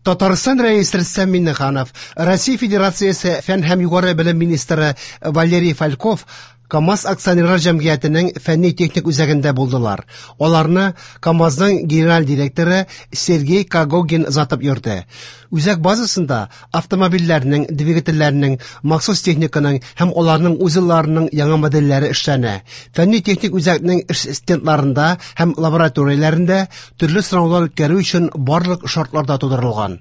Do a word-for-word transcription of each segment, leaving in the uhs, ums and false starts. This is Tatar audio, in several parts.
Татарстан Рәисе Рөстәм Миңнеханов, Россия Федерациясе фән һәм югары белем министры Валерий Фальков КАМАЗ акционерлар җәмгыятенең фәнни-техник үзәгендә булдылар. Аларны КАМАЗның генераль директоры Сергей Когогин озатып йөрде. Үзәк базасында автомобильләрнең, двигательләрнең, махсус техниканың һәм аларның узелларының яңа модельләре эшләнә. Фәнни-техник үзәкнең эш стендларында һәм лабораторияләрендә төрле сынаулар үткәрү өчен барлык шартлар да тудырылган.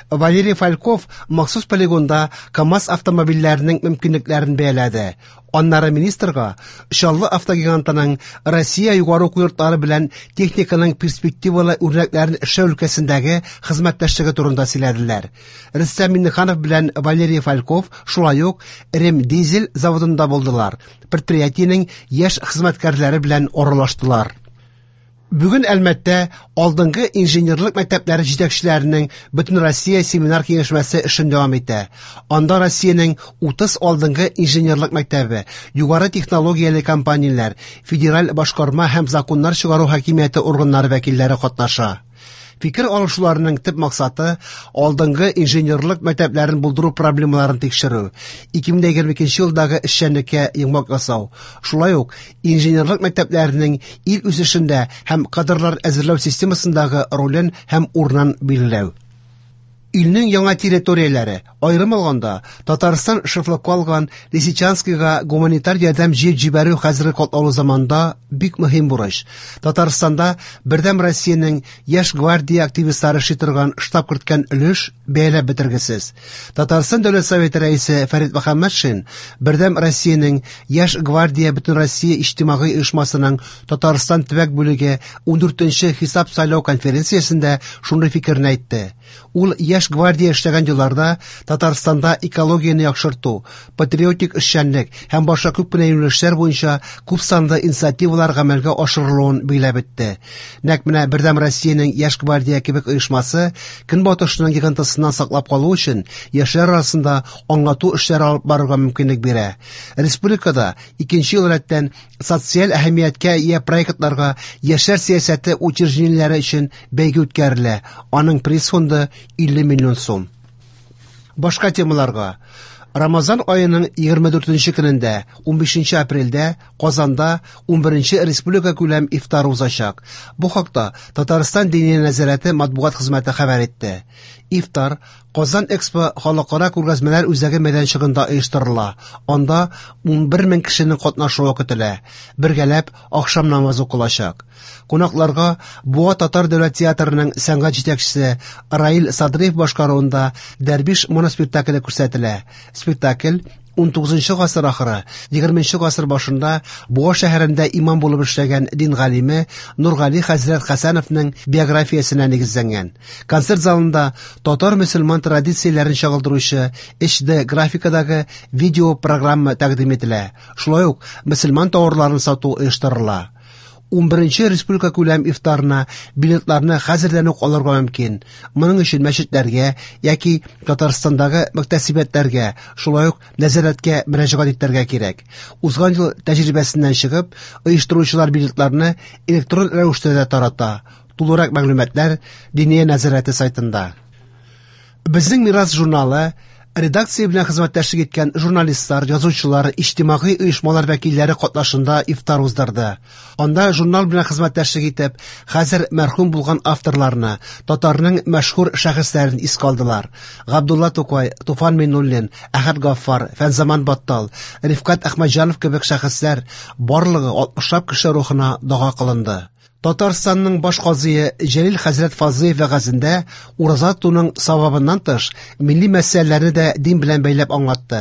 Валерий Фальков махсус полигонда КАМАЗ автомобильләренең мөмкинлекләрен бәяләде. Аннары министрга Чаллы автогигантының Россия югары уку йортлары белән техниканың перспективалы үрнәкләрен эшләү өлкәсендәге хезмәттәшлеге турында сөйләделәр. Рөстәм Миңнеханов белән Валерий Фальков шулай ук Ремдизель заводында булдылар. Предприятиенең яшь хезмәткәрләре белән аралаштылар. Бүген Әлмәттә алдынгы инженерлык мәктәпләре җитәкчеләренең Бөтенроссия семинар киңәшмәсе эшен дәвам итә. Анда Россиянең утыз алдынгы инженерлык мәктәбе, югары технологияле компанияләр, федераль башкарма һәм законнар чыгару хакимияте органнары вәкилләре катнаша. Фикер алышуларының төп максаты алдынгы инженерлык мәктәпләрен булдыру проблемаларын тикшерү, ике мең егерме икенче елдагы эшчәнлеккә йомгак ясау, шулай ук инженерлык мәктәпләренең ил үсешендә һәм кадрлар әзерләү системасындагы ролен һәм урынын билгеләү. Илнең яңа территорияләре, аерым алганда, Татарстан шефлыкка алган Лисичанскийга гуманитар ярдәм җыеп җибәрү хәзерге катлаулы заманда бик мөһим бурыч. Татарстанда Бердәм Россиянең Яшь гвардия активистлары эшли торган штаб керткән өлеш бәяләп бетергесез. Татарстан Дәүләт Советы рәисе Фәрит Мөхәммәтшин Бердәм Россиянең Яшь гвардия Бөтенроссия иҗтимагый оешмасының Татарстан төбәк бүлеге ундүртенче хисап сайлау конференциясендә шундый фикерне әйтте. Ул Яшь гвардия эшләгән елларда Татарстанда экологияне яхшырту, патриотик эшчәнлек һәм башка күп кенә юнәлешләр буенча күп санлы инициативалар гамәлгә ашырылуын билгеләп үтте. Нәкъ менә Бердәм Россиянең Яшь гвардия кебек оешмасы көнбатышның йогынтысыннан саклап калу өчен яшьләр арасында аңлату эшләре алып барырга мөмкинлек бирә. Республикада икенче ел рәттән социаль әһәмияткә ия проектларга яшьләр сәясәте учреждениеләре өчен бәйге үткәрелә. Аның приз фонды илле миллион сум. Башка темаларга. Рамазан аеның егерме дүртенче көнендә, унбишенче апрельдә Казанда унберенче республика күләм ифтар узачак. Бу хакта Татарстан Диния нәзарәте матбугат хезмәте хәбәр итте. Ифтар Казан Экспо халыкара күргәзмәләр үзәге мәйданчыгында оештырыла. Анда унбер мең кешенең катнашуы көтелә. Бергәләп ахшам намазы укылачак. Кунакларга Буа татар дәүләт театрының сәнгать җитәкчесе Раил Садриев башкаруында Дәрвиш моноспектакле күрсәтелә. Спектакль унтугызынчы гасыр ахыры, егерменче гасыр башында Буа шәһәрендә имам булып эшләгән дин галиме Нургали хәзрәт Хәсәновның биографиясенә нигезләнгән. Концерт залында татар мөселман традицияләрен чагылдыручы эйч ди графикадагы видео программа тәкъдим ителә. Шулай ук мөселман тауарларын сату оештырыла. Унберенче республика күләм ифтарына билетларны хәзердән үк алырга мөмкин. Моның өчен мәчетләргә яки Татарстандагы мөхтәсибәтләргә, шулай ук нәзарәткә мөрәҗәгать итәргә кирәк. Узган ел тәҗрибәсеннән чыгып, оештыручылар билетларны электрон рәвештә дә тарата. Тулырак мәгълүматлар Диния нәзарәте сайтында. Безнең Мирас журналы редакция белән хезмәттәшлек иткән журналистлар, язучылар, иҗтимагый оешмалар вәкилләре катнашында ифтар уздырды. Анда журнал белән хезмәттәшлек итеп, хәзер мәрхүм булган авторларны, татарның мәшһүр шәхесләрен искә алдылар. Габдулла Тукай, Туфан Миңнуллин, Әхәт Гаффар, Фәнзаман Баттал, Рифкать Әхмәтҗанов кебек шәхесләр барлыгы алтмышлап кеше рухына дога кылынды. Татарстанның баш казые Җәлил хәзрәт Фазлыев вәгазендә ураза тотуның савабыннан тыш милли мәсьәләләрне дә дин белән бәйләп аңлатты.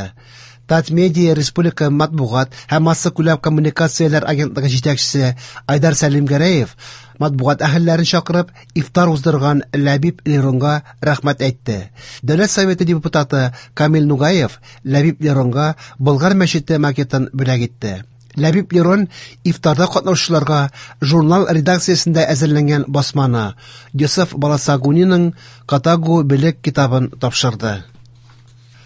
Татмедиа Республика матбугат һәм массакүләм коммуникацияләр агентлыгы җитәкчесе Айдар Сәлимгәрәев матбугат әһелләрен чакырып ифтар уздырган Ләбиб Леронга рәхмәт әйтте. Дәүләт Советы депутаты Камил Нугаев Ләбиб Леронга Болгар мәчете макетын бүләк итте. Ләбиб Лерон ифтарда катнашучыларга журнал редакциясендә әзерләнгән басманы Йосыф Баласагуниның Катагу белек китабын тапшырды.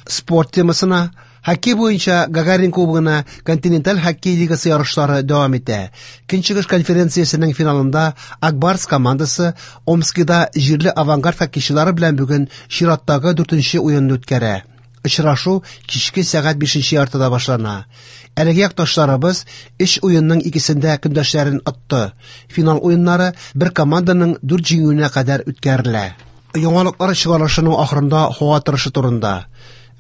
Спорт темасына Хоккей буенча Гагарин кубогына континенталь хоккей лигасы ярышлары дәвам итә. Көнчыгыш конференциясенең финалында Ак Барс командасы Омскида җирле Авангард хоккейчылары белән бүген чираттагы дүртенче уенны үткәрә. Очрашу кичке сәгать бишенче яртыда башлана. Әлеге якташларыбыз өч уенның икесендә көндәшләрен отты. Финал уеннары бер команданың дүрт җиңүенә кадәр үткәрелә. Яңалыклар чыгарылышының ахырында һава торышы турында.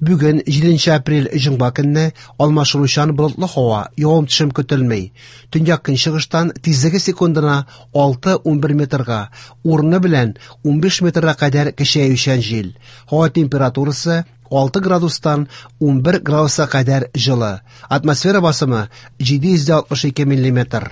Бүген җиденче апрель җомга көнне алмашынучан болытлы һава, явым-төшем көтелми. Төньяк көнчыгыштан тизлеге секундына алты-унбер метрга, урыны белән унбиш метрга кадәр көчәючән җил. Һава температурасы алты градустан унбер градуска кадәр җылы. Атмосфера басымы җиде йөз алтмыш ике миллиметр.